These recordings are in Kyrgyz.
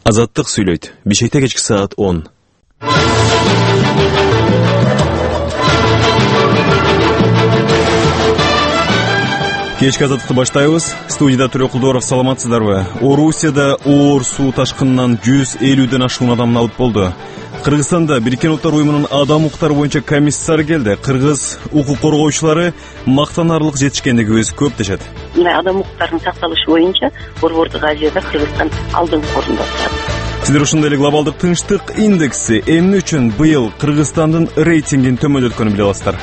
Азаттык сүйлөйт. Бишкекте кечки саат 10. Кечки азаттыкты баштайбыз. Студияда Төлө Кулдоров, саламатсыздарбы? Орусияда оор суу ташкынынан 150ден ашуун адамды алып болду. Кыргызстанда Бириккен Улуттар уюмунун адам укуктары боюнча комиссары келди. Кыргыз укук коргоочулары мактанарлык жетишкендигибиз көп дешет. Адам укуктарынын сакталышы боюнча Борбордук Азияда Кыргызстан алдыңкы орунда турат. Сиздер ушундай эле глобалдык тынчтык индекси эмне үчүн быйыл Кыргызстандын рейтингин төмөндөткөнүн биле аласыздар.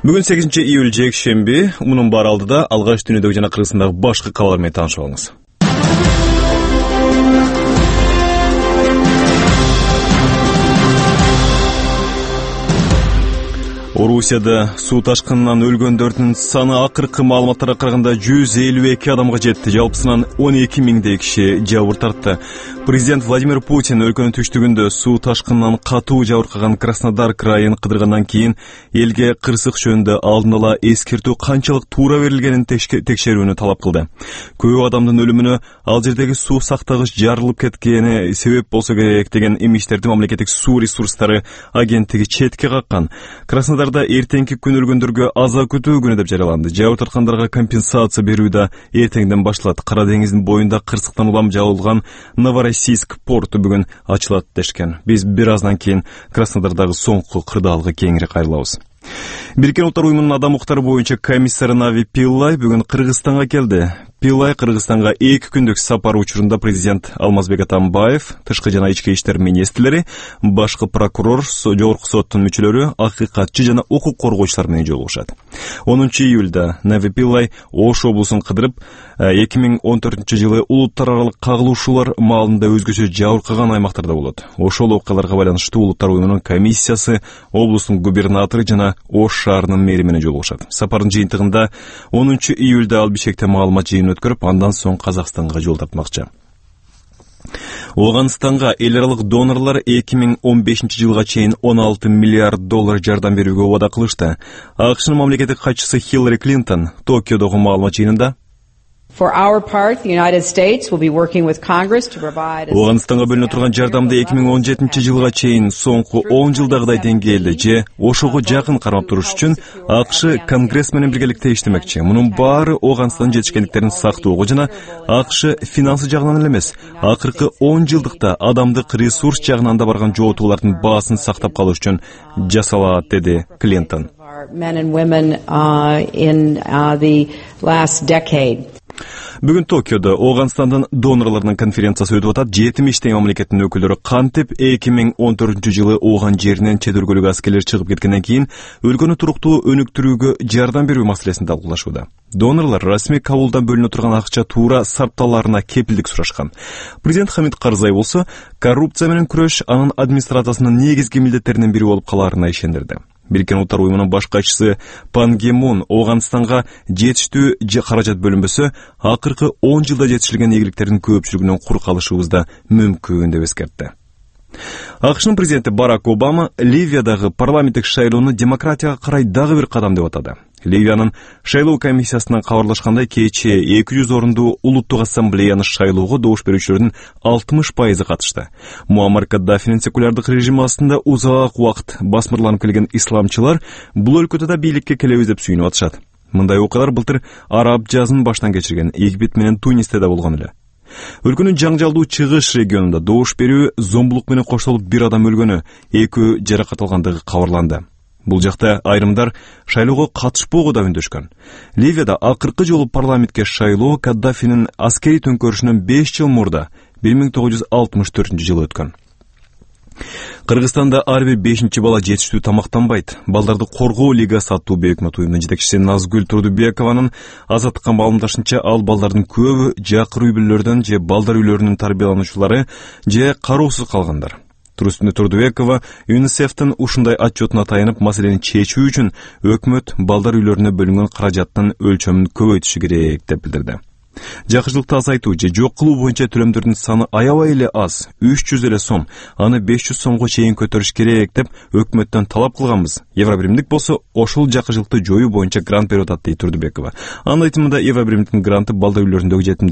Бүгүн 8 июль жекшемби. Мунун баары алдыда алгач дүйнөдөгү жана Кыргызстандагы башкы кабарлар менен таанышып алыңыз. Орусияда суу ташкынынан өлгөндөрдүн саны акыркы маалыматтарга караганда 152 адамга жетти. Жалпысынан 12 миңдей киши жабыр тартты. Президент Владимир Путин өлкөнүн түштүгүндө суу ташкынынан катуу жабыркаган Краснодар крайын кыдыргандан кийин элге кырсык жөнүндө алдын ала эскертүү канчалык туура берилгенин текшерүүнү талап кылды. Көп адамдын өлүмүнө ал жердеги суу сактагыч жарылып кеткени себеп болсо керек деген эмиштерди мамлекеттик суу ресурстары агенттиги четке каккан. Краснодарда эртеңки күн өлгөндөргө аза күтүү күнү деп жарыяланды. Жабыр тарткандарга компенсация берүү да эртеңден башталат. Кара деңиздин боюнда кырсыктан улам жабылган Новороссийск порту бүгүн ачылат дешкен. Биз бир аздан кийин Краснодардагы соңку кырдаалга кеңири кайрылабыз. Бириккен Улуттар уюмунун адам укуктары боюнча комиссары Нави Пиллай бүгүн Кыргызстанга келди. Пиллай Кыргызстанга 2 күндүк сапар учурунда президент Алмазбек Атамбаев, тышкы жана ички иштер министрлери, башкы прокурор, жогорку соттун мүчөлөрү, акыйкатчы жана укук коргоочулар менен жолугушат. 10 июлда Нави Пиллай Ош облусун кыдырып, 2014-жылы улуттар аралык кагылышуулар маалында өзгөчө жабыркаган аймактарда болот. Ошол окуяларга байланыштуу улуттар уюмунун комиссиясы облустун губернатору жана Ош шаарынын мэри менен жолугушат. Сапардын жыйынтыгында 10 июлда ал Бишкекте маалымат жыйынын өткөрүп, андан соң Казакстанга жол тартмакчы. Ооганстанга эл аралык донорлор 2015-жылга чейин $16 миллиард жардам берүүгө убада кылышты. АКШнын мамлекеттик катчысы Хиллари Клинтон Токиодогу маалымат жыйынында Ооганстанга бөлүнө турган жардамды 2017-жылга чейин соңку 10 жылдагыдай деңгээлде же ошого жакын кармап туруш үчүн АКШ Конгресс менен биргеликте иштемекчи. Мунун баары Ооганстандын жетишкендиктерин сактоого жана АКШ финансы жагынан эле эмес, акыркы 10 жылдыкта адамдык ресурс жагынан да барган жоотуулардын баасын сактап калыш үчүн жасалат, деди Клинтон. Бүгүн Токиодо Ооганстандын донорлорунун конференциясы өтүп атат. 70 мамлекеттин өкүлдөрү кантип 2014-жылы Ооган жеринен чет өлкөлүк аскерлер чыгып кеткенден кийин өлкөнү туруктуу өнүктүрүүгө жардам берүү маселесин талкуулашууда. Донорлор расмий кабулдан бөлүнө турган акча туура сарпталарына кепилдик сурашкан. Президент Хамид Карзай болсо коррупция менен күрөш анын администрациясынын негизги милдеттеринин бири болуп калаарына ишендирди. Бириккен Улуттар уюмунун баш катчысы Пан Ги Мун Ооганстанга жетиштүү каражат бөлүнбөсө, акыркы 10 жылда жетишилген ийгиликтердин көпчүлүгүнөн кур калышыбыз да мүмкүн деп эскертти. АКШнын президенти Барак Обама Ливиядагы парламенттик шайлоону демократияга карай дагы бир кадам деп атады. Ливиянын шайлоо комиссиясынан кабарлашкандай, кечээ 200 орундуу улуттук ассамблеяны шайлоого добуш берүүчүлөрдүн 60% катышты. Муаммар Каддафинин секулярдык режими астында узак убакыт басмырланып келген исламчылар бул өлкөдө да бийликке келебиз деп сүйүнүп атышат. Мындай окуялар былтыр араб жазын баштан кечирген Египет менен Тунисте да болгон эле. Өлкөнүн жаңжалдуу чыгыш регионунда добуш берүү зомбулук менен коштолуп бир адам өлгөнү, 2 жаракат алгандыгы кабарланды. Бул жакта айрымдар шайлоого катышпоого да үндөшкөн. Ливияда акыркы жолу парламентке шайлоо Каддафинин аскери төңкөрүшүнөн 5 жыл мурда 1964-жылы өткөн. Кыргызстанда ар бир 5-чи бала жетиштүү тамактанбайт. Балдарды коргоо лигасы аттуу өкмөт уюмунун жетекчиси Назгүл Турдубекованын азаттыкка маалымдашынча, ал балдардын көбү жакыр үй бүлөлөрдөн же балдар үйлөрүнүн тарбиялануучулары же кароосуз калгандар. Турдубекова ЮНИСЕФтин ушундай отчетуна таянып, маселени чечүү үчүн өкмөт балдар үйлөрүнө бөлүнгөн каражаттын өлчөмүн көбөйтүшү керек деп билдирди. Жакшылыкты азайтуу же жок кылуу боюнча төлөмдөрдүн саны аябай эле аз, 300 эле сом, аны 500 сомго чейин көтөрүш керек деп өкмөттөн талап кылганбыз. Евробиримдик болсо ошол жакшылыкты жоюу боюнча грант берип атат дейт Турдубекова. Анын айтымында Евробиримдиктин гранты балдар үйлөрүндөгү жетимдер